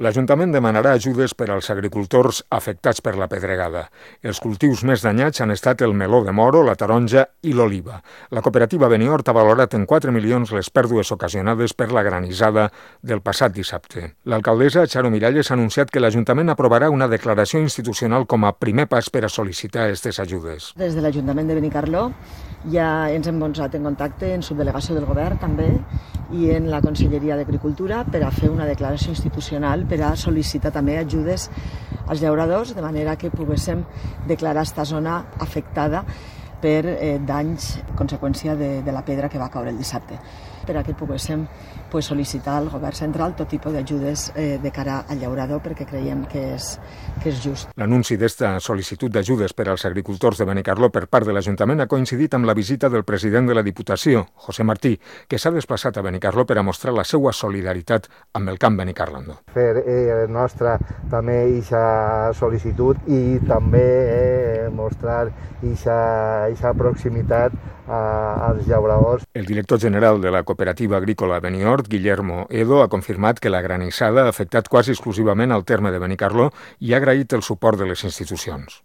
L'Ajuntament demanarà ajudes per als agricultors afectats per la pedregada. Els cultius més danyats han estat el meló de moro, la taronja i l'oliva. La cooperativa Benihort ha valorat en 4 milions les pèrdues ocasionades per la granissada del passat dissabte. L'alcaldessa Charo Miralles ha anunciat que l'Ajuntament aprovarà una declaració institucional com a primer pas per a sol·licitar aquestes ajudes. Des de l'Ajuntament de Benicarló ja ens hem posat en contacte en subdelegació del govern també i en la Conselleria d'Agricultura per a fer una declaració institucional per a sol·licitar també ajudes als llauradors de manera que poguéssim declarar esta zona afectada per danys a conseqüència de la pedra que va caure el dissabte, per a que poguéssim sol·licitar al govern central tot tipus d'ajudes de cara al llaurador perquè creiem que és just. L'anunci d'esta sol·licitud d'ajudes per als agricultors de Benicarló per part de l'Ajuntament ha coincidit amb la visita del president de la Diputació, José Martí, que s'ha desplaçat a Benicarló per a mostrar la seva solidaritat amb el camp benicarlandó. Fer nostra també aquesta sol·licitud i també mostrar aquesta proximitat als llauradors. El director general de la cooperativa agrícola Benihort, Guillermo Edo, ha confirmat que la granissada ha afectat quasi exclusivament al terme de Benicarló i ha agraït el suport de les institucions.